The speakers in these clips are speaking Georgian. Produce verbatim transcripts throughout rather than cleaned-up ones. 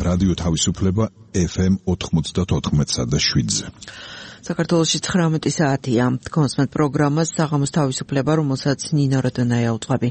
რადიო თავისუფლება ეფ ემ ოთხმოცდაოთხ და შვიდზე. საქართველოში ცხრამეტი საათია. კონსმეთ პროგრამას საღამოს თავისუფლება, რომელსაც ნინო როდონაია უძღვები.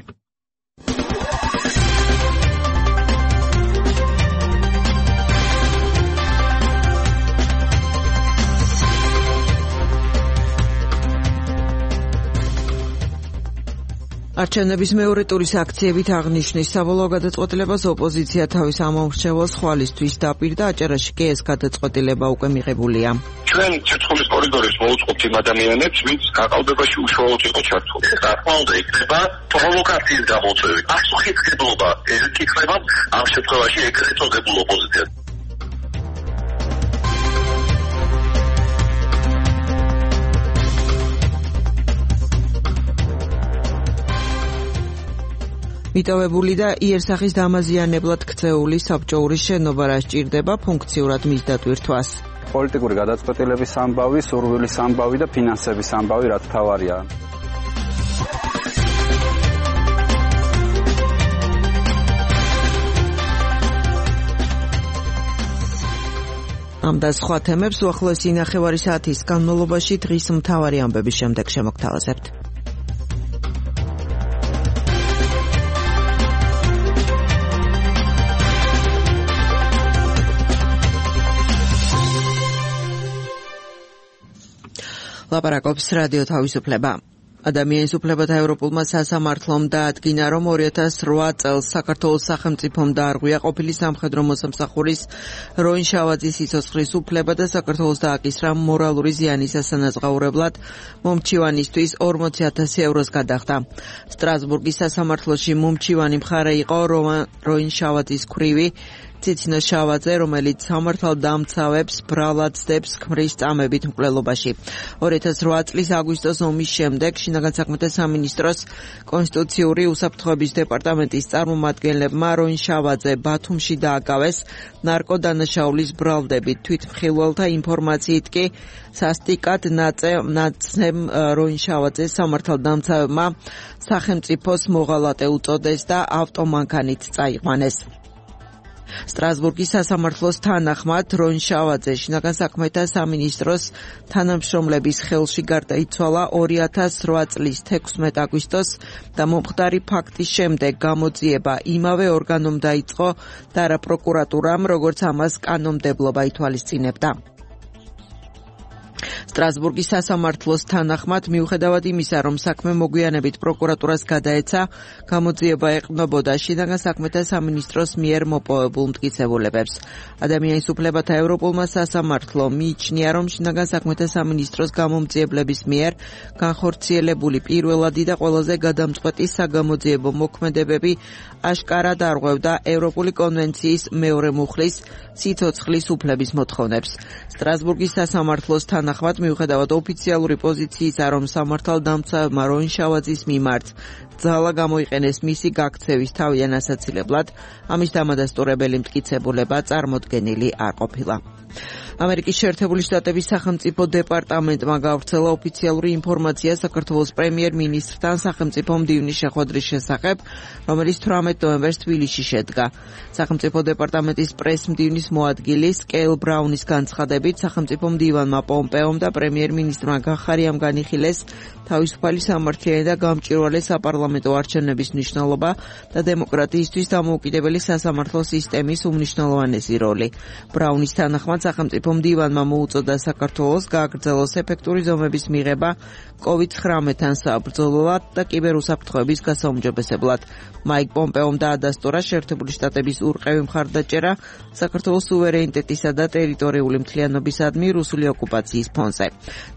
არჩევნების მეორე ტურის აქციებით აღნიშნის საბოლოო გადაწყვეტილებას ოპოზიცია თავის ამომრჩეველს ხვალისთვის დაპირდა, აჭარაში კი ეს გადაწყვეტილება უკვე მიღებულია. ჩვენ ცეცხლის კორიდორის მოუწყობთ იმ ადამიანებს, ვინც გაყალბებაში უშუალოდ იყო ჩართული. რა უნდა იქნება პროვოკაციის გამოწვევი. პასუხისმგებლობა ეკითხება ამ შემთხვევაში ეგრეთ წოდებულ ოპოზიციას. მიტოვებული და იერსახის დამაზიანებლად ქცეული საბჭოური შენობა რა სჭირდება ფუნქციურად მის დატვირთვას. პოლიტიკური გადაწყვეტილების ამბავი, სურვილის ამბავი და ფინანსების ამბავი რაც თავარია. ამ და სხვა თემებს უახლოესი ნახევარი საათის განმავლობაში დღის მთავარი ამბების შემდეგ შემოგთავაზებთ. ლაპარაკობს რადიო თავისუფლება. ადამიანის უფლებათა ევროპულმა სასამართლომ დაადგინა, რომ ორი ათას რვა წელს საქართველოს სახელმწიფომ დაარღვია ყოფილი სამხედრო მოსამსახურის როინ შავაძის სიცოცხლის უფლება და საქართველოს დააკისრა მორალური ზიანის ასანაზღაურებლად მომჩივანისთვის ორმოცი ათასი ევროს გადახდა. სტრასბურგის სასამართლოში მომჩივანი მხარე იყო როინ შავაძის ქვრივი ციცინო შავაძე, რომელიც სამართალდამცავებს ბრალად ძდებს ქმრის წამებით მკვლელობაში. ორი ათას რვა წლის აგვისტოს ომის შემდეგ შინაგან საქმეთა სამინისტროს კონსტიტუციური უსაფრთხოების დეპარტამენტის წარმომადგენლებმა როინ შავაძე ბათუმში დააკავეს ნარკოდანაშაულის ბრალდებით. თვითმხილველთა ინფორმაციით კი სასტიკად ნაცემ როინ შავაძეს სამართალდამცავებმა სახელმწიფოს მოღალატე უწოდეს და ავტომანქანით წაიყვანეს. სტრასბურგის სასამართლოს თანახმად როინ შავაძე შინაგან საქმეთა სამინისტროს თანამშრომლების ხელში გარდაიცვალა ორი ათას რვა წლის თექვსმეტ აგვისტოს და მომხდარი ფაქტის შემდეგ გამოძიება იმავე ორგანომ დაიწყო და რა პროკურატურამ, როგორც ამას კანონმდებლობა ითვალისწინებდა. სტრასბურგის სასამართლოს თანახმად მიუხედავად იმისა, რომ საქმე მოგვიანებით პროკურატურას გადაეცა, გამოძიება ეყრდნობოდა შინაგან საქმეთა სამინისტროს მიერ მოპოვებულ მტკიცებულებებს. ადამიანის უფლებათა ევროპულმა სასამართლომ მიიჩნია, რომ შინაგან საქმეთა სამინისტროს გამომძიებლების მიერ განხორციელებული პირველადი და ყველაზე გადამწყვეტი საგამოძიებო მოქმედებები აშკარად არღვევდა ევროპული კონვენციის მეორე მუხლის სიცოცხლის უფლების მოთხოვნებს. სტრასბურგის სასამართლოს თანახმად მიუხედავად ოფიციალური პოზიციისა, რომ სამართალდამცავებმა როინ შავაძის მიმართ ძალა გამოიყენეს მისი გაქცევის თავიდან ასაცილებლად, ამის დამადასტურებელი მტკიცებულება წარმოდგენილი არ ყოფილა. ამერიკის შეერთებული შტატების სახელმწიფო დეპარტამენტმა გავრცელა ოფიციალური ინფორმაცია საქართველოს პრემიერ-მინისტრთან სახელმწიფო მდივნის შეხვედრის შესახებ, რომელიც თვრამეტ ნოემბერს თბილისში შედგა. სახელმწიფო დეპარტამენტის პრეს-მდივნის მოადგილის კეილ ბრაუნის განცხადებით, სახელმწიფო მდივანმა პომპეომ და პრემიერ-მინისტრმა გახარიამ განიხილეს თავისუფალი სამართლიანი და გამჭვირვალე საპარლამენტო არჩევნების მნიშვნელობა და დემოკრატიისთვის დამოუკიდებელი სასამართლო სისტემის უმნიშვნელოვანესი როლი. ბრაუნის თანახმად სახელმწიფო მდივანმა მოუწოდა საქართველოს გააგრძელოს ეფექტური ზომების მიღება კოვიდ ცხრამეტთან საბრძოლველად და კიბერუსაფრთხოების გასაუმჯობესებლად. მაიკ პომპეომ დაადასტურა შეერთებული შტატების ურყევი მხარდაჭერა საქართველოს სუვერენიტეტისა და ტერიტორიული მთლიანობისადმი რუსული ოკუპაციის ფონზე.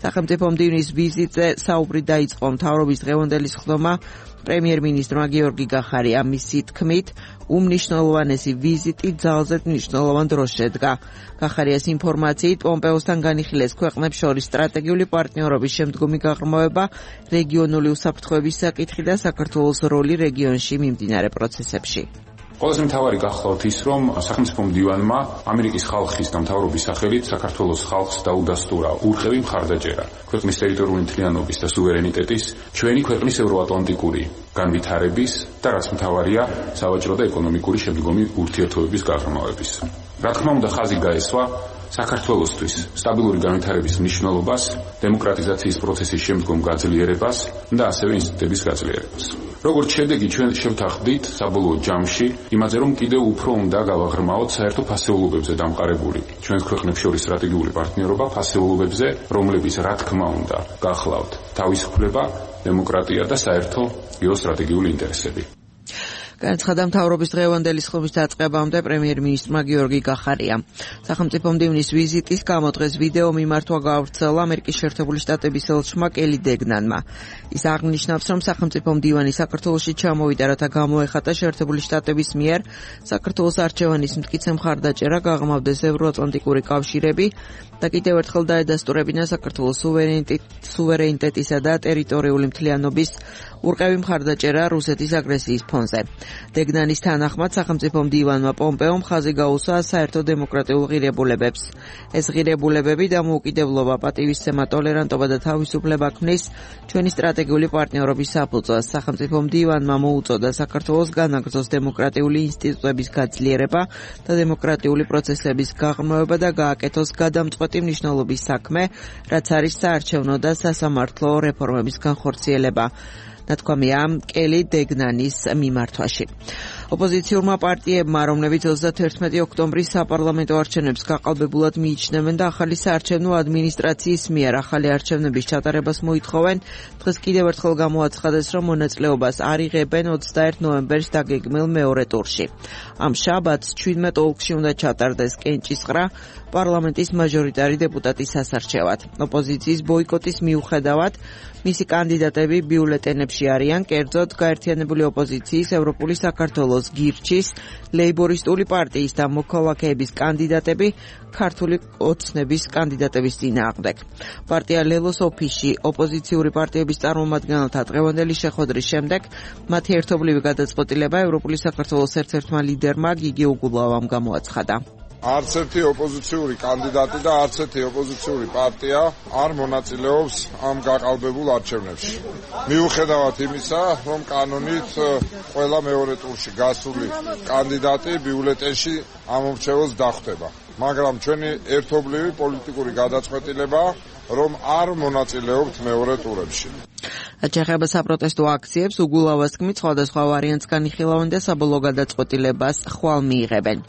სახელმწიფო მდივნის ვიზიტზე საუბრი დაიწყო მთავრობის დღევანდელი სხდომა პრემიერ-მინისტრმა გიორგი გახარიამ, მისი თქმით, უმნიშვნელოვანესი ვიზიტი ძალზედ მნიშვნელოვან დროს შედგა. გახარიას ინფორმაციით, პომპეოსთან განიხილეს ქვეყნებს შორის სტრატეგიული პარტნიორობის შემდგომი გაღრმავება, რეგიონული უსაფრთხოების საკითხი და საქართველოს როლი რეგიონში მიმდინარე პროცესებში. ყველაზე მთავარი გახლავთ ის, რომ სახელმწიფო მდივანმა ამერიკის ხალხის და მთავრობის სახელით საქართველოს ხალხს დაუდასტურა ურყევი მხარდაჭერა ქვეყნის ტერიტორიული მთლიანობის და სუვერენიტეტის, ჩვენი ქვეყნის ევროატლანტიკური განვითარების და რაც მთავარია, სავაჭრო და ეკონომიკური შემდგომი ურთიერთობების გაღრმავების. რა თქმა უნდა, ხაზი გაესვა საქართველოსთვის სტაბილური განვითარების მნიშვნელობას, დემოკრატიზაციის პროცესის შემდგომ გაძლიერებას და ასევე ინსტიტუტების გაძლიერებას. როგორც შედეგი, ჩვენ შევთანხმდით საბოლოო ჯამში იმაზე, რომ კიდევ უფრო უნდა გავაღრმაოთ საერთო ფასეულობებზე დამყარებული ჩვენს ქვეყნებს შორის სტრატეგიული პარტნიორობა ფასეულობებზე, რომლებიც რა თქმა უნდა გახლავთ თავისუფლება, დემოკრატია და საერთო გეოსტრატეგიული ინტერესები. განაცხადა მთავრობის დღევანდელი სხდომის დაწყებამდე პრემიერ-მინისტრმა გიორგი გახარიამ. სახელმწიფო მდივნის ვიზიტის გამო დღეს ვიდეო მიმართვა გაავრცელა ამერიკის შეერთებული შტატების ელჩმა კელი დეგნანმა. ის აღნიშნავს, რომ სახელმწიფო მდივანი საქართველოში ჩამოვიდა, რათა გამოეხატა შეერთებული შტატების მიერ საქართველოს არჩევანის მტკიცე მხარდაჭერა, გაღრმავდეს ევროატლანტიკური კავშირები და კიდევ ერთხელ დაედასტურებინა საქართველოს სუვერენიტეტისა და ტერიტორიული მთლიანობის ურყევი მხარდაჭერა რუსეთის აგრესიის ფონზე. დეგნანის თანახმად სახელმწიფო მდივანმა პომპეომ ხაზი გაუსვა საერთო დემოკრატიულ ღირებულებებს. ეს ღირებულებები დამოუკიდებლობა, პატივისცემა, ტოლერანტობა და თავისუფლება ქმნის ჩვენი სტრატეგიული პარტნიორობის საფუძველს. სახელმწიფო მდივანმა მოუწოდა საქართველოს განაგრძოს დემოკრატიული ინსტიტუტების გაძლიერება და დემოკრატიული პროცესების გაღრმავება და გააკეთოს გადამწყვეტი მნიშვნელობის საქმე, რაც არის საარჩევნო და სასამართლო რეფორმების განხორციელება. ნათქვამია კელი დეგნანის მიმართვაში. ოპოზიციურმა პარტიებმა, რომლებიც ოცდათერთმეტი ოქტომბრის საპარლამენტო არჩევნებს გაყალბებულად მიიჩნევენ და ახალი საარჩევნო ადმინისტრაციის მიერ ახალი არჩევნების ჩატარებას მოითხოვენ, დღეს კიდევ ერთხელ გამოაცხადეს, რომ მონაწილეობას არ იღებენ ოცდაერთ ნოემბერს დაგეგმილ მეორე ტურში. ამ შაბათს ჩვიდმეტ ოლქში უნდა ჩატარდეს კენჭისყრა პარლამენტის მაჟორიტარი დეპუტატის სასარჩევად. ოპოზიციის ბოიკოტის მიუხედავად, მისი კანდიდატები ბიულეტენებში არიან, კერძოდ გაერთიანებული ოპოზიციის, ევროპული საქართველოს, გირჩის, ლეიბორისტული პარტიის და მოქალაქეების კანდიდატები ქართული ოცნების კანდიდატების წინააღმდეგ. პარტია ლელოს ოფისში ოპოზიციური პარტიების წარმომადგენელთა დღევანდელი შეხვედრის შემდეგ მათი ერთობლივი გადაწყვეტილება ევროპული საქართველოს ერთ-ერთმა ლიდერმა გიგი უგულავამ გამოაცხადა. არც ერთი ოპოზიციური კანდიდატი და არც ერთი ოპოზიციური პარტია არ მონაწილეობს ამ გაყალბებულ არჩევნებში. მიუხედავად იმისა, რომ კანონით ყველა მეორე ტურში გასული კანდიდატი ბიულეტენში ამომრჩეველს დახვდება. მაგრამ ჩვენი ერთობლივი პოლიტიკური გადაწყვეტილება, რომ არ მონაწილეობთ მეორე ტურებში. აჩეხება საპროტესტო აქციებს, უგულავას თქმით, სხვადასხვა ვარიანტს განიხილავენ და საბოლოო გადაწყვეტილებას ხვალ მიიღებენ.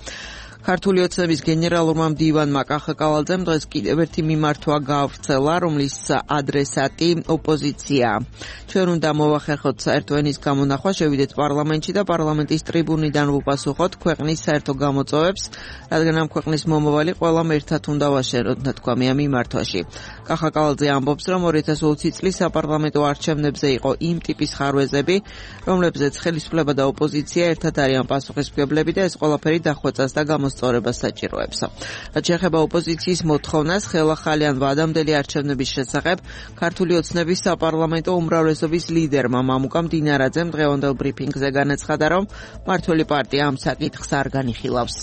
ქართული ოცნების გენერალურმა მდივანმა კახა კავალძემ დღეს კიდევ ერთი მიმართვა გაავრცელა, რომლის ადრესატი ოპოზიციაა. ჩვენ უნდა მოვახერხოთ საერთო ენის გამონახვა, შევიდეთ პარლამენტში და პარლამენტის ტრიბუნიდან ვუპასუხოთ ქვეყნის საერთო გამოწვევებს, რადგან ამ ქვეყნის მომავალი ყველამ ერთად უნდა ვაშენოთ, ნათქვამია მიმართვაში. კახა კავალძე ამბობს, რომ ორი ათას ოცი წლის საპარლამენტო არჩევნებზე იყო იმ ტიპის ხარვეზები, რომლებზეც ხელისუფლება და ოპოზიცია ერთად არიან პასუხისმგებლები და ეს ყველაფერი დახვეწას და მოსწორებას საჭიროებს. რაც შეეხება ოპოზიციის მოთხოვნას, ხელახალიან ვადამდელი არჩევნების შესახებ ქართული ოცნების საპარლამენტო უმრავლესობის ლიდერმა მამუკა მდინარაძემ დღევანდელ ბრიფინგზე განაცხადა, რომ მმართველი პარტია ამ საკითხს არ განიხილავს.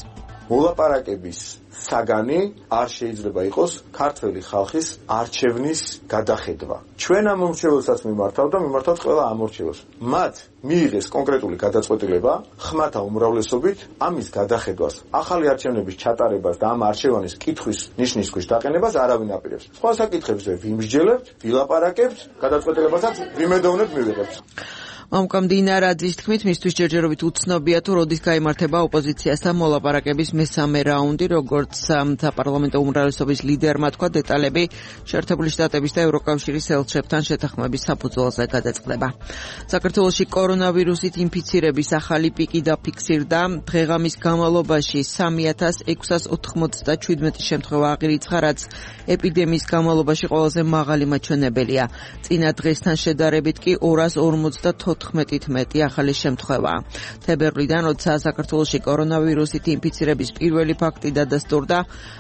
მოლაპარაკების საგანი არ შეიძლება იყოს ქართველი ხალხის არჩევნის გადახედვა. ჩვენ ამ მომრჩეველსაც მიმართავთ და მიმართავთ ყველა ამორჩეველს. მათ მიიღეს კონკრეტული გადაწყვეტილება ხმათა უმრავლესობით ამის გადახედვას, ახალი არჩევნების ჩატარებას და ამ არჩევანის კითხვის ნიშნის ქვეშ დაყენებას არავინ აპირებს. სხვა საკითხებზე ვიმსჯელებთ, ვილაპარაკებთ, გადაწყვეტილებასაც ვიმედოვნებთ მივიღებთ. მამუკა მდინარაძის თქმით, მისთვის ჯერჯერობით უცნობია თუ როდის გაიმართება ოპოზიციასთან მოლაპარაკების მესამე რაუნდი, როგორც საპარლამენტო უმრავლესობის ლიდერმა თქვა, დეტალები შეერთებული შტატების და ევროკავშირის ელჩებთან შეთანხმების საფუძველზე გადაწყდება. საქართველოში კორონავირუსით ინფიცირების ახალი პიკი დაფიქსირდა. დღეღამის განმავლობაში სამი ათას ექვსას ოთხმოცდაშვიდი შემთხვევა აღირიცხა, რაც ეპიდემიის განმავლობაში ყველაზე მაღალი მაჩვენებელია. წინა დღესთან შედარებით კი ორას ორმოცდათოთხმეტით მეტი ახალი შემთხვევაა. თებერვლიდან, როდესაც საქართველოში კორონავირუსით ინფიცირების პირველი ფაქტი დადასტურდა,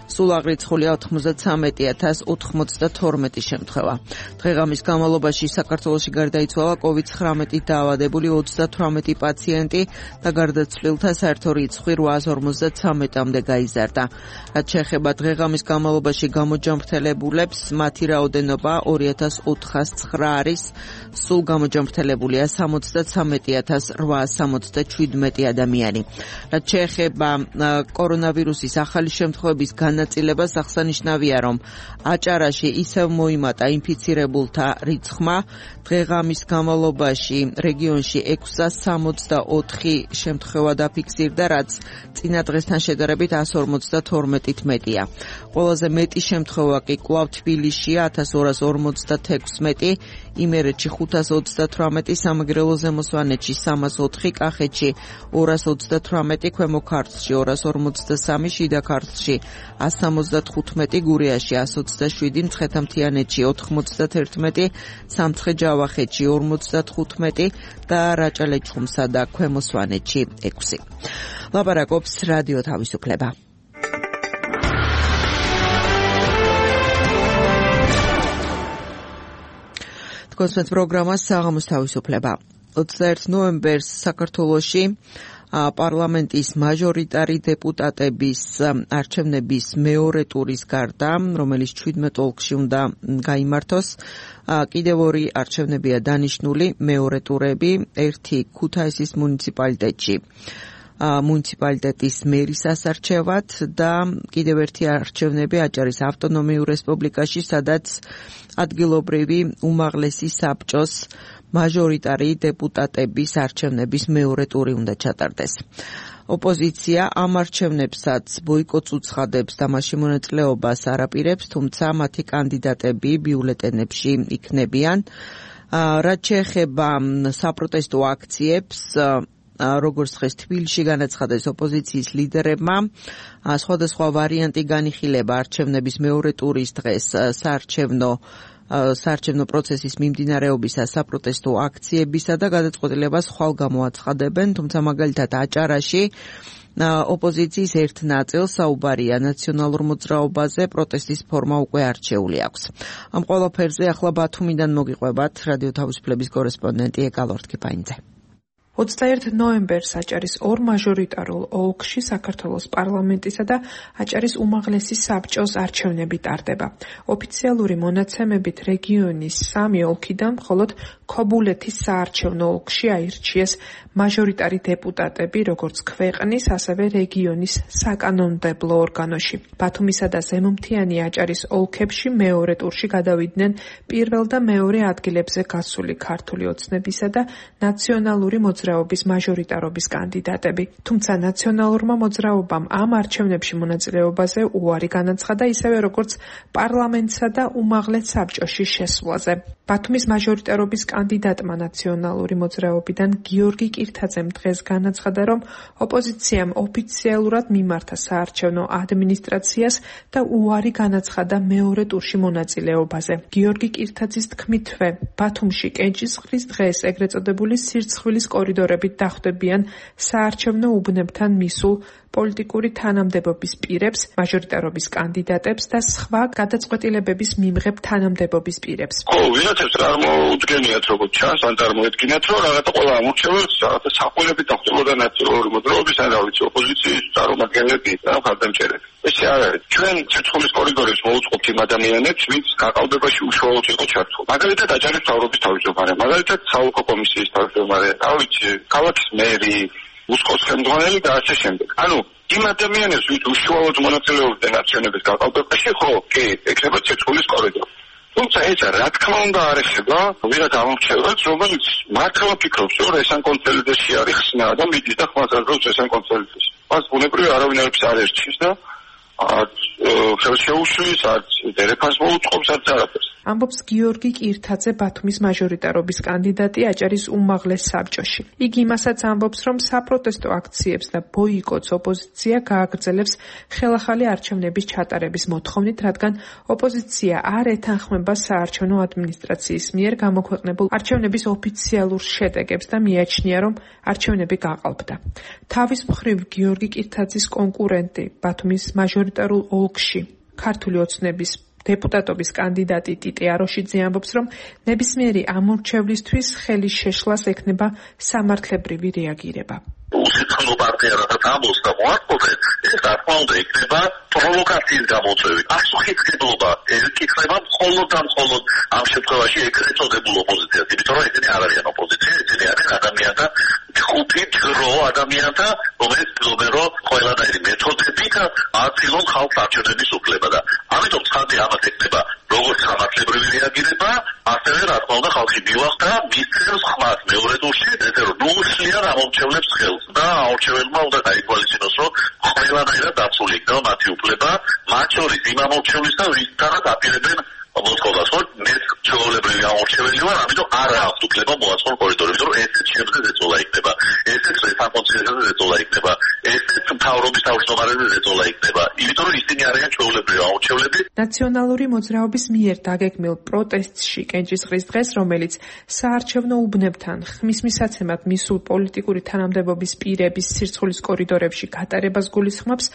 სულ აღრიცხულია ოთხმოცდათვრამეტი ათას ოთხმოცდათორმეტი შემთხვევა. დღეღამის განმავლობაში საქართველოში გარდაიცვალა კოვიდ ცხრამეტით დაავადებული ოცდათვრამეტი პაციენტი და გარდაცვლილთა საერთო რიცხვი რვაას ორმოცდათრამეტამდე გაიზარდა. რაც შეეხება დღეღამის განმავლობაში გამოჯანმრთელებულებს, მათი რაოდენობა ორი ათას ოთხას ცხრა არის, სულ გამოჯანმრთელებულია სამოცდათრამეტი ათას რვაას სამოცდაშვიდმეტი ადამიანი. რაც შეეხება კორონავირუსის ახალი შემთხვევების განაწილებას, აღსანიშნავია, რომ აჭარაში ისევ მოიმატა ინფიცირებულთა რიცხვმა. დღე-ღამის განმავლობაში რეგიონში ექვსას სამოცდაოთხი შემთხვევა დაფიქსირდა, რაც წინა დღესთან შედარებით ას ორმოცდათორმეტით მეტია. ყველაზე მეტი შემთხვევა კი კვლავ თბილისშია ათას ორას ორმოცდათექვსმეტი, იმერეთში ხუთას ოცდათვრამეტი, სამეგრელო ზემოსვანეთში სამას ოთხი, კახეთში ორას ოცდათვრამეტი, ქვემო ქართლში ორას ორმოცდასამი, შიდა ქართლში ას სამოცდათხუთმეტი, გურიაში ას ოცდაშვიდი, მცხეთა-მთიანეთში ოთხმოცდაერთმეტი, სამცხე-ჯავახეთში ორმოცდათხუთმეტი და რაჭა-ლეჩხუმსა და ქვემო სვანეთში ექვსი. ლაპარაკობს რადიო თავისუფლება. კონსპექტ პროგრამა საღამოს თავისუფლება. ოცდაერთი ნოემბერს საქართველოში პარლამენტის მაჟორიტარი დეპუტატების არჩევნების მეორე ტურის გარდა, რომელიც ჩვიდმეტ ოლქში უნდა გაიმართოს, კიდევ ორი არჩევნებია დანიშნული, მეორე ტურები, ერთი ქუთაისის მუნიციპალიტეტში მუნიციპალიტეტის მერის ასარჩევად და კიდევ ერთი არჩევნები აჭარის ავტონომიურ რესპუბლიკაში, სადაც ადგილობრივი უმაღლესი საბჭოს მაჟორიტარი დეპუტატების არჩევნების მეორე ტური უნდა ჩატარდეს. ოპოზიცია ამ არჩევნებსაც ბოიკოტს უცხადებს და მასში მონაწილეობას არ აპირებს, თუმცა მათი კანდიდატები ბიულეტენებში იქნებიან. რაც შეეხება საპროტესტო აქციებს, როგორც დღეს თბილისში განაცხადეს ოპოზიციის ლიდერებმა, სხვადასხვა ვარიანტი განიხილება არჩევნების მეორე ტურის დღეს საარჩევნო საარჩევნო პროცესის მიმდინარეობისა, საპროტესტო აქციებისა და გადაწყვეტილებას ხვალ გამოაცხადებენ, თუმცა მაგალითად აჭარაში ოპოზიციის ერთ ნაწილს საუბარია ნაციონალურ მოძრაობაზე, პროტესტის ფორმა უკვე არჩეული აქვს. ამ ყველაფერზე ახლა ბათუმიდან მოგიყვებათ რადიო თავისუფლების კორესპონდენტი ეკალორთქიფაინძე. ოცდაერთი ნოემბერს აჭარის ორ მაჟორიტარულ ოლქში საქართველოს პარლამენტისა და აჭარის უმაღლესი საბჭოს არჩევნები ტარდება. ოფიციალური მონაცემებით რეგიონის სამი ოლქიდან მხოლოდ ქობულეთის საარჩევნო ოლქში აირჩიეს მაჟორიტარი დეპუტატები, როგორც ქვეყნის, ასევე რეგიონის საკანონმდებლო ორგანოში. ბათუმისა და ზემომთიანი აჭარის ოლქებში მეორე ტურში გადავიდნენ პირველ და მეორე ადგილებზე გასული ქართული ოცნებისა და ნაციონალური მოძრაობის მაჟორიტარობის კანდიდატები. თუმცა ნაციონალურმა მოძრაობამ ამ არჩევნებში მონაწილეობაზე უარი განაცხადა, ისევე როგორც პარლამენტსა და უმაღლეს საბჭოში შესვლაზე. ბათუმის მაჟორიტარობის კანდიდატმა ნაციონალური მოძრაობიდან გიორგი კირთაძემ დღეს განაცხადა, რომ ოპოზიციამ ოფიციალურად მიმართა საარჩევნო ადმინისტრაციას და უარი განაცხადა მეორე ტურში მონაწილეობაზე. გიორგი კირთაძის თქმითვე, ბათუმში კენჭისყრის დღეს ეგრეთ წოდებული სირცხვილის კორიდორებით დახვდებიან საარჩევნო უბნებთან მისულ პოლიტიკური თანამდებობის პირებს, მაჟორიტარობის კანდიდატებს და სხვა გადაწყვეტილებების მიმღებ თანამდებობის პირებს. ხო, ვიღაცებს არ მოუდგენიათ, როგორც ჩანს, ან წარმოედგინათ, რომ რაღაცა ყველა ამორჩევებს, რაღაცა საყოველები დახვდებოდა ნაციონალური მოძრაობის, ან რა ვიცი, ოპოზიციის წარმომადგენლები და მხარდამჭერები. ესე არ არის. ჩვენ ცეცხლის კორიდორებს მოუწყობთ იმ ადამიანებს, ვინც გაყალბებაში უშუალოდ იყო ჩართული. მაგალითად, აჭარის მთავრობის თავმჯდომარე, მაგალითად, საოლქო კომისიის თავმჯდომარე, რა ვიცი, ქალაქის მერი, უსკოს ხელმძღვანელი და ასე შემდეგ. ანუ იმ ადამიანებს, ვინც უშუალოდ მონაწილეობდნენ არჩევნების გაყალბებაში, ხო, კი, ეკრება ცეცხლის კორიდორი. თუმცა ეს რა თქმა უნდა არ ეხება ვიღაც ამორჩევლებს, რომელიც მართლა ფიქრობს, რომ ეს ან კონსოლიდაციაში არის ხსნა და მიდის და ხმას აძლევს ეს ან კონსოლიდაციაში. მას ბუნებრივი არავინ არის არ ერჩის და არც ხელს შეუშლის, არც დერეფანს მოუწყობს, არც არაფერს. ამბობს გიორგი კირთაძე, ბათუმის მაჟორიტარობის კანდიდატი აჭარის უმაღლეს საბჭოში. იგი იმასაც ამბობს, რომ საპროტესტო აქციებს და ბოიკოტს ოპოზიცია გააგრძელებს ხელახალი არჩევნების ჩატარების მოთხოვნით, რადგან ოპოზიცია არ ეთანხმება საარჩევნო ადმინისტრაციის მიერ გამოქვეყნებულ არჩევნების ოფიციალურ შედეგებს და მიაჩნია, რომ არჩევნები გაყალბდა. თავის მხრივ გიორგი კირთაძის კონკურენტი, ბათუმის მაჟორიტარულ ოლქში ქართული ოცნების დეპუტატობის კანდიდატი ტიტე აროშიძე ამბობს, რომ ნებისმიერი ამორჩევლისთვის ხელის შეშლას ექნება სამართლებრივი რეაგირება. უსიცხლო პარტია რასაც ამბობს და მოარყოფენ, ეს რა თქმა უნდა იქნება პროვოკაციის გამოწვევით. პასუხისმგებლობა ეკითხება მხოლოდ და მხოლოდ ამ შემთხვევაში ეგრეთ წოდებულ ოპოზიციას, იმიტომ რომ ესენი არ არიან ოპოზიცია, ესენი არიან და ხუთი ჯგრო ადამიანთა, რომელიც ცდილობენ რომ ყველანაირი მეთოდებით აწილონ ხალხს არჩევნების უფლება და ამიტომ ცხადია ამას ექნება როგორც ხალხლებრივი რეაგირება, ასევე რა თქმა უნდა ხალხი მივახდა მისცემს ხმას მეორე ტურში, ესე რომ ნულშლიან ამორჩევლებს ხელს და აორჩეველმა უნდა გაითვალისწინოს რომ ყველანაირად დაცული იქნება მათი უფლება, მათ შორის იმ ამორჩევლის და ვისთანაც აპირებენ მოსკოვას, რომ ეს ჩვეულებრივი ამორჩეველი ვარ, ამიტომ არ აქვს უფლება მოაწყონ კორიდორებში, რომ ესეც შემდგე ზეწოლა იქნება, ესეც საკონცენტრაციაზე ზეწოლა იქნება, ესეც მთავრობის თავმჯდომარეზე ზეწოლა იქნება, იმიტომ რომ ისინი არიან ჩვეულებრივი ამორჩევლები. ნაციონალური მოძრაობის მიერ დაგეგმილ პროტესტში კენჭისყრის დღეს, რომელიც საარჩევნო უბნებთან ხმის მისაცემად მისულ პოლიტიკური თანამდებობის პირების სირცხვილის კორიდორებში გატარებას გულისხმობს,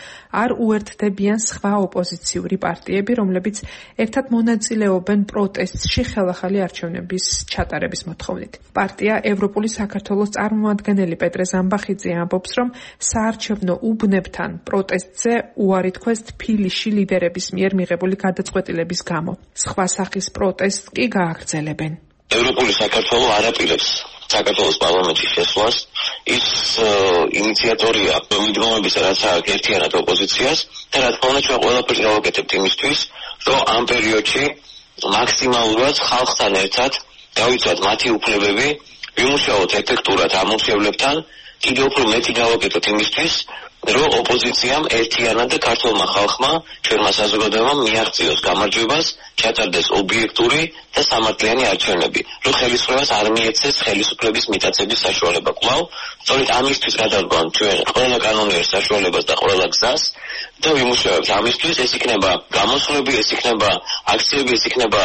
არ უერთდებიან სხვა ოპოზიციური პარტიები, რომლებიც ერთად მონაწილეობენ პროტესტში ხელახალი არჩევნების ჩატარების მოთხოვნით. პარტია ევროპული საქართველოს წარმომადგენელი პეტრე ზამბახიძე ამბობს, რომ საარჩევნო უბნებთან პროტესტზე უარი თქვეს თბილისში ლიდერების მიერ მიღებული გადაწყვეტილების გამო. სხვა სახის პროტესტს კი გააგრძელებენ. ევროპული საქართველო არ აპირებს საქართველოს პარლამენტში შესვლას, ის ინიციატორია მიდგომების რაც აქვს ერთიანად ოპოზიციას და რა თქმა უნდა ჩვენ ყველაფერს გავაკეთებთ იმისთვის, რომ ამ პერიოდში მაქსიმალურად ხალხთან ერთად დავიცვათ მათი უფლებები, ვიმუშაოთ ეფექტურად ამორჩევლებთან, კიდევ უფრო მეტი გავაკეთოთ იმისთვის, რომ ოპოზიციამ ერთიანად და ქართულმა ხალხმა, ჩვენმა საზოგადოებამ მიაღწიოს გამარჯვებას, ჩატარდეს ობიექტური და სამართლიანი არჩევნები, რომ ხელისუფლებას არ მიეცეს ხელისუფლების მიტაცების საშუალება კვლავ, სწორედ ამისთვის გადავდგავთ ჩვენ ყველა კანონიერ საშუალებას და ყველა გზას და ვიმუშავებთ ამისთვის, ეს იქნება გამოსვლები, ეს იქნება აქციები, ეს იქნება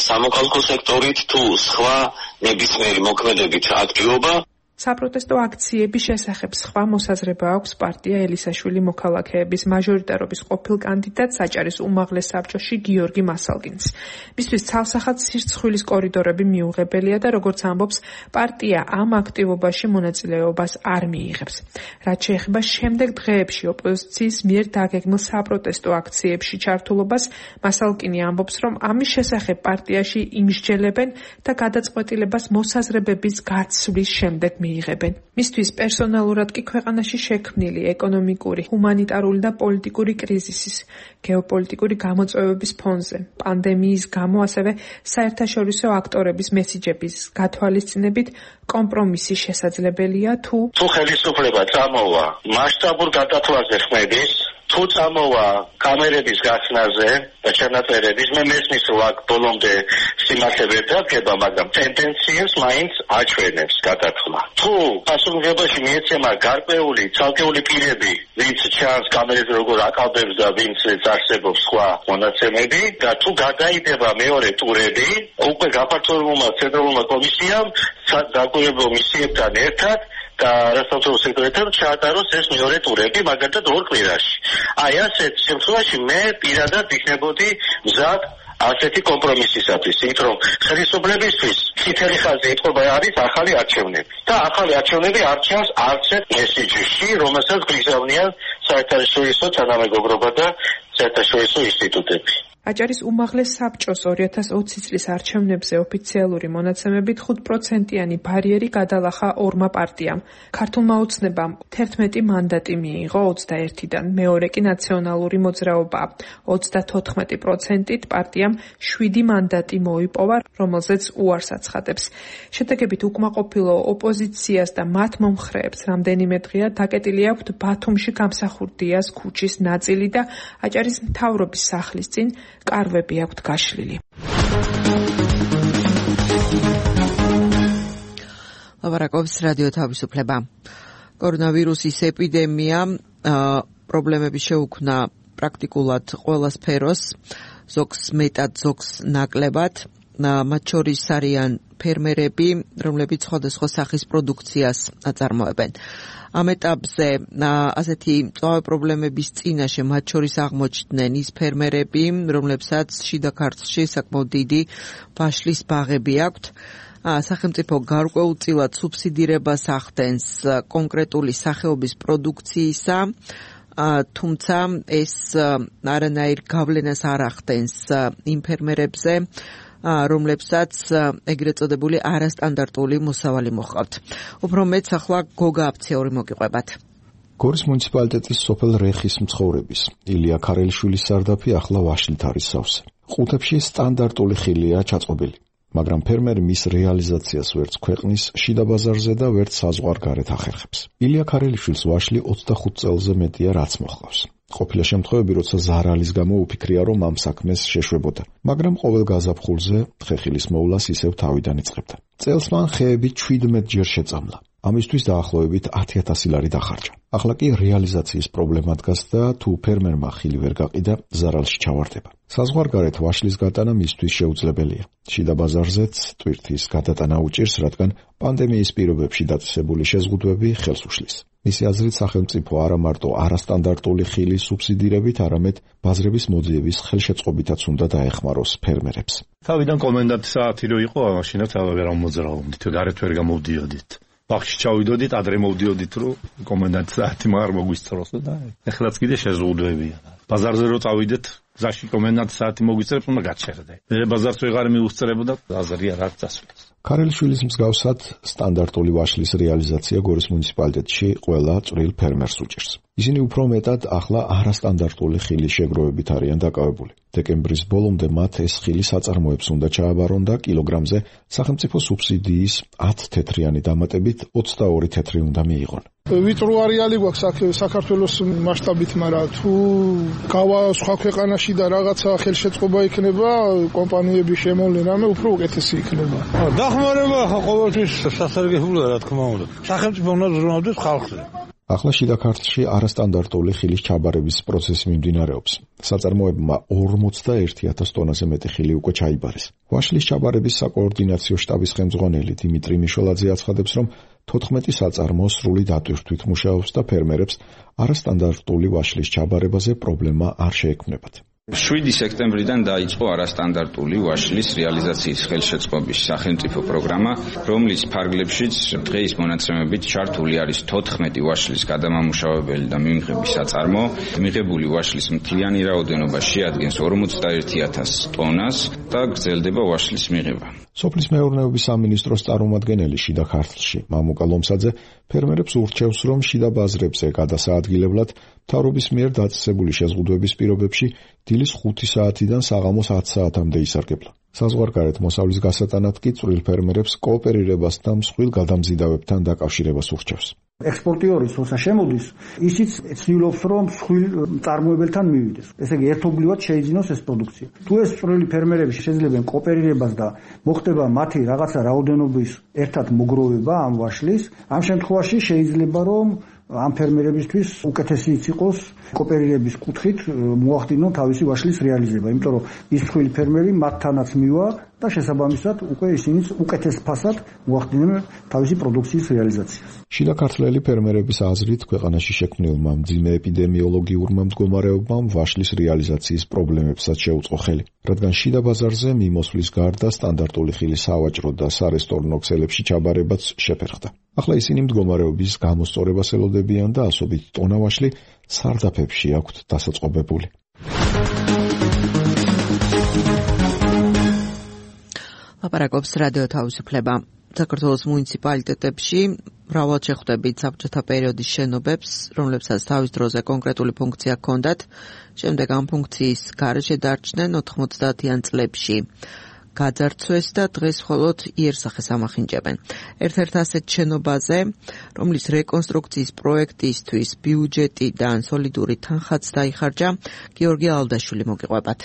სამოქალაქო სექტორით თუ სხვა ნებისმიერი მოქმედებით აქტივობა. საპროტესტო აქციების შესახებ სხვა მოსაზრება აქვს პარტია ელისაშვილი მოქალაქეების მაჟორიტარობის ყოფილ კანდიდატ საჭარის უმაღლეს საბჭოში გიორგი მასალკინს. მისთვის ცალსახად სირცხვილის კორიდორები მიუღებელია და როგორც ამბობს, პარტია ამ აქტივობაში მონაწილეობას არ მიიღებს. რაც შეეხება შემდეგ დღეებში ოპოზიციის მიერ დაგეგმილ საპროტესტო აქციებში ჩართულობას, მასალკინი ამბობს, რომ ამის შესახებ პარტიაში იმსჯელებენ და გადაწყვეტილებას მოსაზრებების გაცვლის შემდეგ მიიღებენ. მისთვის პერსონალურად კი ქვეყანაში შექმნილი ეკონომიკური, ჰუმანიტარული და პოლიტიკური კრიზისის, გეოპოლიტიკური გამოწვევების ფონზე, პანდემიის გამო, ასევე საერთაშორისო აქტორების მესიჯების გათვალისწინებით კომპრომისი შესაძლებელია თუ თუ ხელისუფლება წამოვა მასშტაბურ გადათვლაზე ხმების, თუ წამოვა კამერების გახსნაზე და ჩანაწერების, მე მესმის ვაკ ბოლომდე სიმართლე ვერ დადგება, მაგრამ ტენდენციას მაინც აჩვენებს გადათვლა. თუ პასუხისმგებლობაში მიეცემა გარკვეული ცალკეული პირები, ვინც ჩანს კამერებზე როგორ აკავებს და ვინც არსებობს სხვა მონაცემები და თუ გადაიდება მეორე ტურები, უკვე გაფართოებულმა ცენტრალურმა კომისიამ დაკვირვებელ მისიებთან ერთად და რასაუბრისო სექტორთან ჩაატაროს ეს მეორე ტურები, მაგალითად ორ კვირაში. აი ასეთ შემთხვევაში მე პირადად იქნებოდი მზად ასეთი კომპრომისისათვის, იმიტომ რომ ხელისუფლებისთვის წითელი ხაზი ეთყობა არის ახალი არჩევნები და ახალი არჩევნები არ ჩანს არც ერთ მესიჯში, რომელსაც გიზავნიან საერთაშორისო თანამეგობრობა და საერთაშორისო ინსტიტუტები. აჭარის უმაღლეს საბჭოს ორი ათას ოცი წლის არჩევნებზე ოფიციალური მონაცემებით ხუთ პროცენტიანი ბარიერი გადალახა ორმა პარტიამ. ქართულმა ოცნებამ თერთმეტი მანდატი მიიღო ოცდაერთიდან, მეორე კი ნაციონალური მოძრაობა ოცდათოთხმეტი პროცენტით, პარტიამ შვიდი მანდატი მოიპოვა, რომელზეც უარს აცხადებს. შედეგებით უკმაყოფილო ოპოზიციას და მათ მომხრეებს რამდენიმე დღეა დაკეტილი აქვთ ბათუმში გამსახურდიას ქუჩის ნაწილი და აჭარის მთავრობის სახლის წინ კარვები აქვთ გაშლილი. ლაპარაკობს რადიო თავისუფლება. კორონავირუსის ეპიდემია პრობლემები შეუქმნა პრაქტიკულად ყველა სფეროს, ზოგს მეტად, ზოგს ნაკლებად. მათ შორის არიან ფერმერები, რომლებიც სხვადასხვა სახის პროდუქციას აწარმოებენ. ამ ეტაპზე ასეთი მწვავე პრობლემების წინაშე მათ შორის აღმოჩნდნენ ის ფერმერები, რომლებსაც შიდა ქართლში საკმაოდ დიდი ვაშლის ბაღები აქვთ. სახელმწიფო გარკვეულწილად სუბსიდირებას ახდენს კონკრეტული სახეობის პროდუქციისა, თუმცა ეს არანაირ გავლენას არ ახდენს იმ ფერმერებზე, რომლებსაც ეგრეთ წოდებული არასტანდარტული მოსავალი მოჰყავთ. უფრო მეტს ახლა გოგა აფციური მოგიყვებათ. გორის მუნიციპალიტეტის სოფელ რეხის მცხოვრების ილია ქარელიშვილის სარდაფი ახლა ვაშლით არის სავსე. ყუთებში სტანდარტული ხილია ჩაწყობილი, მაგრამ ფერმერი მის რეალიზაციას ვერც ქვეყნის შიდა ბაზარზე და ვერც საზღვარგარეთ ახერხებს. ილია ქარელიშვილს ვაშლი ოცდახუთ წელზე მეტია რაც მოჰყავს. ყოფილა შემთხვევები, როცა ზარალის გამო უფიქრია, რომ ამ საქმეს შეშვებოდა, მაგრამ ყოველ გაზაფხულზე ხეხილის მოვლას ისევ თავიდან იწყებდა. წელს მან ხეები ჩვიდმეტ ჯერ შეწამლა. ამისთვის დაახლოებით ათი ათასი ლარი დახარჯა. ახლა კი რეალიზაციის პრობლემა დგას და თუ ფერმერმა ხილი ვერ გაყიდა, ზარალში ჩავარდება. საზღვარგარეთ ვაშლის გატანა მისთვის შეუძლებელია. შიდა ბაზარზეც ტვირთის გადატანა უჭირს, რადგან პანდემიის პირობებში დაწესებული შეზღუდვები ხელს უშლის. მისი აზრით, სახელმწიფო არა მარტო არასტანდარტული ხილის სუბსიდირებით, არამედ ბაზრების მოძიების ხელშეწყობითაც უნდა დაეხმაროს ფერმერებს. თავიდან კომენდანტი საათი რო იყო, მაშინაც აღარ მოვძრაობდით, გარეთ ვერ გამოვდიოდით. ბაღში ჩავიდოდით, ადრე მოვდიოდით, რომ კომენდანტი საათი მაგარ მოგვისწროს და ეხლაც კიდე შეზღუდვებია. ბაზარზე რო წავიდეთ, გზაში კომენდანტი საათი მოგვისწრებს, უნდა გაჩერდე. მე ბაზარს ვეღარ მიუსწრებოდა, აზრია რაც წასვლის. ქარელიშვილის მსგავსად სტანდარტული ვაშლის რეალიზაცია გორის მუნიციპალიტეტში ყველა წვრილ ფერმერს უჭირს. ისინი უფრო მეტად ახლა არასტანდარტული ხილის შეგროვებით არიან დაკავებული. დეკემბრის ბოლომდე მათ ეს ხილი საწარმოებს უნდა ჩააბარონ და კილოგრამზე სახელმწიფო სუბსიდიის ათი თეთრიანი დამატებით ოცდაორი თეთრი უნდა მიიღონ. ვიწრო არეალი გვაქვს საქართველოს მასშტაბით, მაგრამ თუ გავა სხვა ქვეყანაში და რაღაცა ხელშეწყობა იქნება, კომპანიების შემოვლენ რამე უფრო უკეთესი იქნება. დახმარება ყოველთვის სასარგებლოა, რა თქმა უნდა. სახელმწიფო უნდა ზრუნავდეს ხალხზე. ახლა შიდა ქართლში არასტანდარტული ხილის ჩაბარების პროცესი მიმდინარეობს. საწარმოებმა ორმოცდაერთი ათას ტონაზე მეტი ხილი უკვე ჩაიბარეს. ვაშლის ჩაბარების საკოორდინაციო შტაბის ხელმძღვანელი დიმიტრი მიშოლაძე აცხადებს, რომ თოთხმეტი საწარმო სრული დატვირთვით მუშაობს და ფერმერებს არასტანდარტული ვაშლის ჩაბარებაზე პრობლემა არ შეექმნებათ. შვიდი სექტემბრიდან დაიწყო არასტანდარტული ვაშლის რეალიზაციის ხელშეწყობის სახელმწიფო პროგრამა, რომლის ფარგლებშიც დღეის მონაცემებით ჩართული არის თოთხმეტი ვაშლის გადამამუშავებელი და მიმღები საწარმო. მიღებული ვაშლის მთლიანი რაოდენობა შეადგენს ორმოცდაერთი ათას ტონას და გრძელდება ვაშლის მიღება. სოფლის მეურნეობის სამინისტროს წარმომადგენელი შიდა ქართლში მამუკა ლომსაძე ფერმერებს ურჩევს, რომ შიდა ბაზრებზე გადასაადგილებლად მთავრობის მიერ დაწესებული შეზღუდვების პირობებში დილის ხუთი საათიდან საღამოს ათი საათამდე ისარგებლა. საზღვარგარეთ მოსავლის გასატანად კი წვრილ ფერმერებს კოოპერირებას და მსხვილ გადამზიდავებთან დაკავშირებას ურჩევს. ექსპორტიორის როცა შემოდის, ისიც ცდილობს, რომ მსხვილ წარმოებელთან მივიდეს. ესე იგი, ერთობლივად შეიძინოს ეს პროდუქცია. თუ ეს წვრილი ფერმერები შეძლებენ კოოპერირებას და მოხდება მათი რაღაცა რაოდენობის ერთად მოგროვება ამ ვაშლის, ამ შემთხვევაში შეიძლება, რომ ამ ფერმერებისთვის უკეთესიც იყოს კოოპერირების კუთხით მოახდინონ თავისი ვაშლის რეალიზება, იმიტომ რომ ის მსხვილი ფერმერი მათთანაც მივა და შესაბამისად უკვე ისინიც უკეთეს ფასად მოახდინონ თავისი პროდუქციის რეალიზაციას. შიდა ქართლელი ფერმერების აზრით, ქვეყანაში შექმნილმა მძიმე ეპიდემიოლოგიურმა მდგომარეობამ ვაშლის რეალიზაციის პრობლემებსაც შეუწყო ხელი, რადგან შიდა ბაზარზე მიმოსვლის გარდა სტანდარტული ხილის სავაჭრო და სარესტორნო ქსელებში ჩაბარებაც შეფერხდა. ახლა ისინი მდგომარეობის გამოსწორებას ელოდებიან და ასობით ტონა ვაშლი სარდაფებში აქვთ დასაწყობებული. ლაპარაკობს რადიო თავისუფლება. საქართველოს მუნიციპალიტეტებში მრავალ შეხვდებით საბჭოთა პერიოდის შენობებს, რომლებსაც თავის დროზე კონკრეტული ფუნქცია ჰქონდათ, შემდეგ ამ ფუნქციის გარეშე დარჩნენ ოთხმოცდაათიან წლებში. გაძარცვეს და დღეს მხოლოდ იერსახეს ამახინჯებენ. ერთ-ერთ ასეთ შენობაზე, რომლის რეკონსტრუქციის პროექტისთვის ბიუჯეტიდან სოლიდური თანხაც დაიხარჯა, გიორგი ალდაშვილი მოგიყვებათ.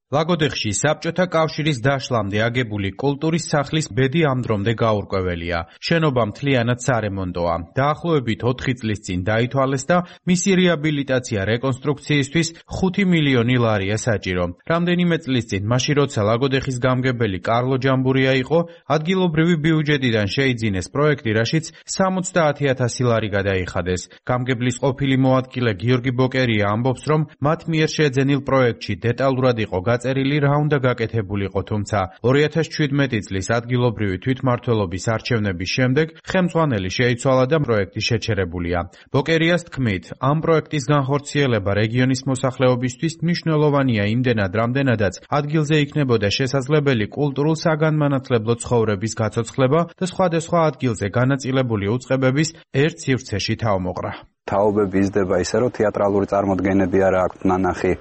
ლაგოდეხში საბჭოთა კავშირის დაშლამდე აგებული კულტურის სახლის ბედი ამ დრომდე გაურკვეველია. შენობა მთლიანად სარემონტოა. დაახლოებით ოთხი წლის წინ დაითვალეს და მისი რეაბილიტაცია რეკონსტრუქციისთვის ხუთი მილიონი ლარია საჭირო. რამდენიმე წლის წინ, მაშინ როცა ლაგოდეხის გამგებელი კარლო ჯამბურია იყო, ადგილობრივი ბიუჯეტიდან შეიძინეს პროექტი, რაშიც სამოცდაათი ათასი ლარი გადაიხადეს. გამგებლის ყოფილი მოადგილე გიორგი ბოკერია ამბობს, რომ მათ მიერ შეძენილ პროექტში დეტალურად იყო დაწერილი რა უნდა გაკეთებულიყო, თუმცა ორი ათას ჩვიდმეტი წლის ადგილობრივი თვითმმართველობის არჩევნების შემდეგ ხელმძღვანელი შეიცვალა და პროექტი შეჩერებულია. ბოკერიას თქმით, ამ პროექტის განხორციელება რეგიონის მოსახლეობისთვის მნიშვნელოვანია იმდენად, რამდენადაც ადგილზე იქნებოდა შესაძლებელი კულტურულ საგანმანათლებლო ცხოვრების გაცოცხლება და სხვადასხვა ადგილზე განაწილებული უწყებების ერთ სივრცეში თავმოყრა. თაობები იზრდება ისე, რომ თეატრალური წარმოდგენები არა აქვთ ნანახი,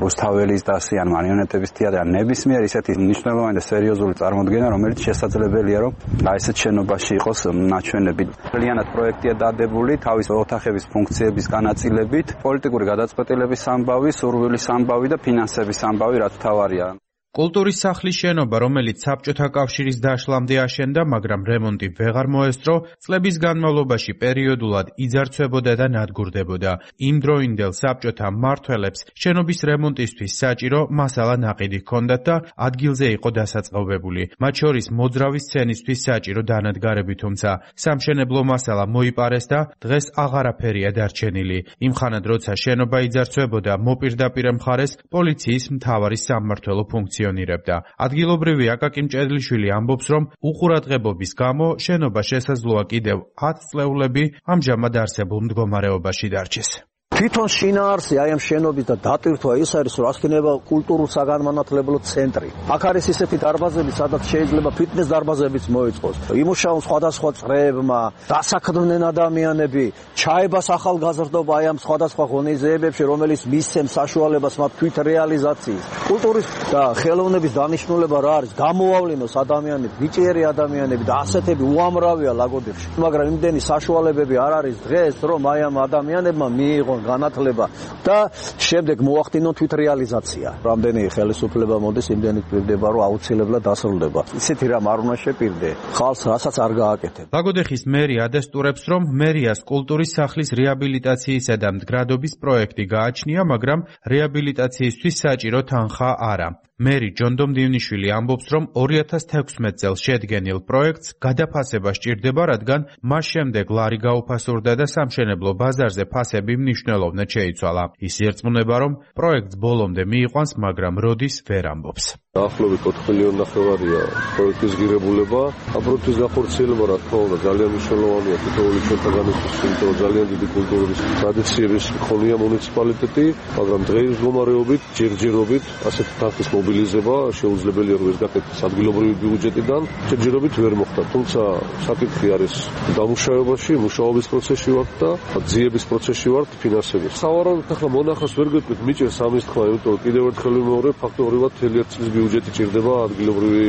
რუსთაველის დასი ან მარიონეტების თეატრი, ან ნებისმიერ ისეთი მნიშვნელოვანი და სერიოზული წარმოდგენა, რომელიც შესაძლებელია, რომ აი ესეთ შენობაში იყოს ნაჩვენები. ძალიანად პროექტია დადებული თავის ოთახების ფუნქციების განაწილებით, პოლიტიკური გადაწყვეტილების ამბავი, სურვილის ამბავი და ფინანსების ამბავი, რაც თავარია. კულტურის სახლის შენობა, რომელიც საბჭოთა კავშირის დაშლამდე აშენდა, მაგრამ რემონტი ვეღარ მოესწრო, წლების განმავლობაში პერიოდულად იძარცვებოდა და ნადგურდებოდა. იმ დროინდელ საბჭოთა მმართველებს შენობის რემონტისთვის საჭირო მასალა ნაყიდი ჰქონდათ და ადგილზე იყო დასაწყობებული. მათ შორის მოძრავი სცენისთვის საჭირო დანადგარები, თუმცა სამშენებლო მასალა მოიპარეს და დღეს აღარაფერია დარჩენილი. იმხანად, როცა შენობა იძარცვებოდა, მოპირდაპირე მხარეს პოლიციის მთავარი სამმართველო ფუნქცია. ადგილობრივი აკაკი მჭედლიშვილი ამბობს, რომ უყურადღებობის გამო შენობა შესაძლოა კიდევ ათი წლეულები ამჟამად არსებულ მდგომარეობაში დარჩეს. თვითონ შინაარსი აი ამ შენობის და დატვირთვა ის არის, რომ ასქენება კულტურულ საგანმანათლებლო ცენტრი. აქ არის ისეთი დარბაზები, სადაც შეიძლება ფიტნეს დარბაზებიც მოეწყოს. იმუშაონ სხვადასხვა წრეებმა, დასაქმდნენ ადამიანები, ჩაებას ახალგაზრდობა აი ამ სხვადასხვა ღონისძიებებში, რომელიც მისცემს საშუალებას მათ თვით რეალიზაციის. კულტურის და ხელოვნების დანიშნულება რა არის? გამოავლინოს ადამიანები, ბიჭიერი ადამიანები და ასეთები უამრავია ლაგოდეხში. მაგრამ იმდენი საშუალებები არ არის დღეს, რომ აი ამ ადამიანებმა მიიღონ განათლება და შემდეგ მოახდინონ თვით რეალიზაცია. რამდენი ხელისუფლება მოდის, იმდენი გვერდება, რომ აუცილებლად დასრულდება. ისეთი რამ არ უნდა შეპირდე, ხალხს რასაც არ გააკეთებ. ლაგოდეხის მერი ადასტურებს, რომ მერიას კულტურის სახლის რეაბილიტაციისა და მდგრადობის პროექტი გააჩნია, მაგრამ რეაბილიტაციისთვის საჭირო თანხა არა. მერი ჯონდომ დივნიშვილი ამბობს, რომ ორი ათას თექვსმეტ წელს შედგენილ პროექტს გადაფასება სჭირდება, რადგან მას შემდეგ ლარი გაუფასურდა და სამშენებლო ბაზარზე ფასები მნიშვნელოვნად შეიცვალა. ის იერწმუნება, რომ პროექტს ბოლომდე მიიყვანს, მაგრამ როდის ვერ ამბობს. დაახლოებით ოთხ მილიონი ნახევარია პროექტის ღირებულება. ამ პროექტის განხორციელება, რა თქმა უნდა, ძალიან მნიშვნელოვანია თითოეული ჩვენთაგანისთვის, იმიტომ რომ ძალიან დიდი კულტურის ტრადიციების მქონეა მუნიციპალიტეტი, მაგრამ დღეის მდგომარეობით, ჯერჯერობით ასეთი თანხის მობილიზება შეუძლებელია, რომ ეს გაკეთდეს ადგილობრივი ბიუჯეტიდან, ჯერჯერობით ვერ მოხდა. თუმცა საკითხი არის დამუშავებაში, მუშაობის პროცესში ვართ და ძიების პროცესში ვართ ფინანსების. სავარაუდოდ ახლა მონახავს ვერ გეტყვით, მიჭერს ამის თქვა, იმიტომ რომ კიდევ ერთხელ ვიმეორებ, ფაქტობრივად მთელი ერთი წლის ბიუჯეტი ჭირდება ადგილობრივი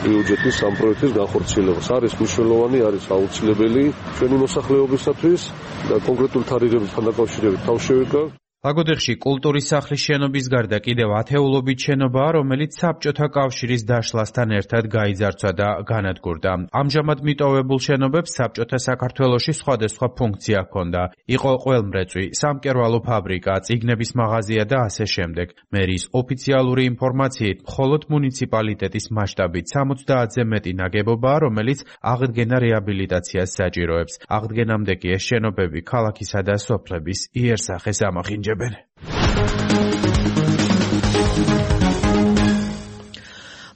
ბიუჯეტის ამ პროექტის განხორციელებას. არის მნიშვნელოვანი, არის აუცილებელი ჩვენი მოსახლეობისათვის და კონკრეტული თარიღებთან დაკავშირებით თავ შევიკავ. ლაგოდეხში კულტურის სახლის შენობის გარდა კიდევ ათეულობით შენობაა, რომელიც საბჭოთა კავშირის დაშლასთან ერთად გაიძარცვა და განადგურდა. ამჟამად მიტოვებულ შენობებს საბჭოთა საქართველოში სხვადასხვა ფუნქცია ჰქონდა. იყო ყველმრეწვი, სამკერვალო ფაბრიკა, წიგნების მაღაზია და ასე შემდეგ. მერის ოფიციალური ინფორმაციით, მხოლოდ მუნიციპალიტეტის მასშტაბით სამოცდაათზე მეტი ნაგებობაა, რომელიც აღდგენა რეაბილიტაციას საჭიროებს. აღდგენამდე კი ეს შენობები ქალაქისა და სოფლების იერსახეს ამახინჯებენ.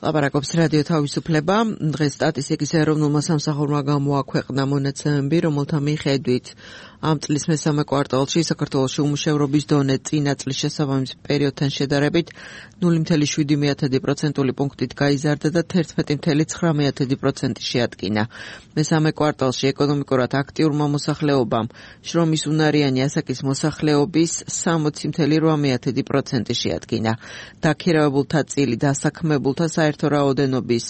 ლაპარაკობს რადიო თავისუფლება. დღეს სტატისტიკის ეროვნულმა სამსახურმა გამოაქვეყნა მონაცემები, რომელთა მიხედვით ამ წლის მესამე კვარტალში საქართველოში უმუშევრობის დონე წინა წლის შესაბამის პერიოდთან შედარებით ნული ფاصლე შვიდი პროცენტული პუნქტით გაიზარდა და თერთმეტი ფაصლე ცხრა პროცენტი შეადგინა. მესამე კვარტალში ეკონომიკურად აქტიურმა მოსახლეობამ შრომის უნარიანი ასაკის მოსახლეობის სამოცი ფაصლე რვა პროცენტი შეადგინა. დაქირავებულთა წილი დასაქმებულთა საერთო რაოდენობის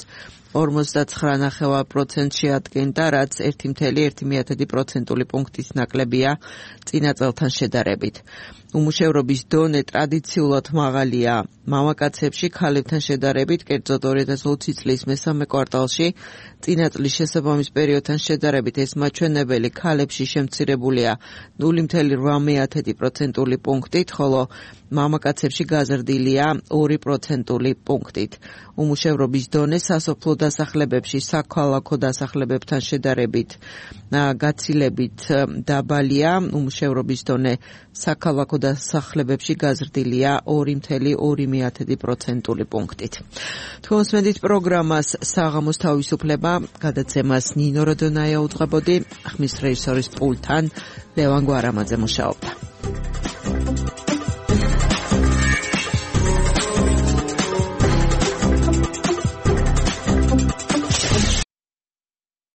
ორმოცდაცხრა ნახევარ პროცენტს შეადგენდა, რაც ერთი ფაصლე ერთი პროცენტული პუნქტის ნაკლებია წინა წელთან შედარებით. უმუშევრობის დონე ტრადიციულად მაღალია მამაკაცებში ქალებთან შედარებით, კერძოდ ორი ათას ოცი წლის მესამე კვარტალში წინა წლის შესაბამის პერიოდთან შედარებით ეს მაჩვენებელი ქალებში შემცირებულია ნული ფაصლე რვა პროცენტული პუნქტით, ხოლო მამაკაცებში გაზრდილია ორი პროცენტული პუნქტით. უმუშევრობის დონე სასოფლო დასახლებებში საქალაქო დასახლებებთან შედარებით გაცილებით დაბალია. უმუშევრობის დონე საქალაქო დასახლებებში გაზრდილია ორი წელი ორი პროცენტული პუნქტით. თქვენსმენდით პროგრამას საღამოს თავისუფლება, გადაცემას ნინო როდონაია უძღვებოდი, ხმის რეჟისორის პულტთან ლევან გვარამაძე მუშაობდა.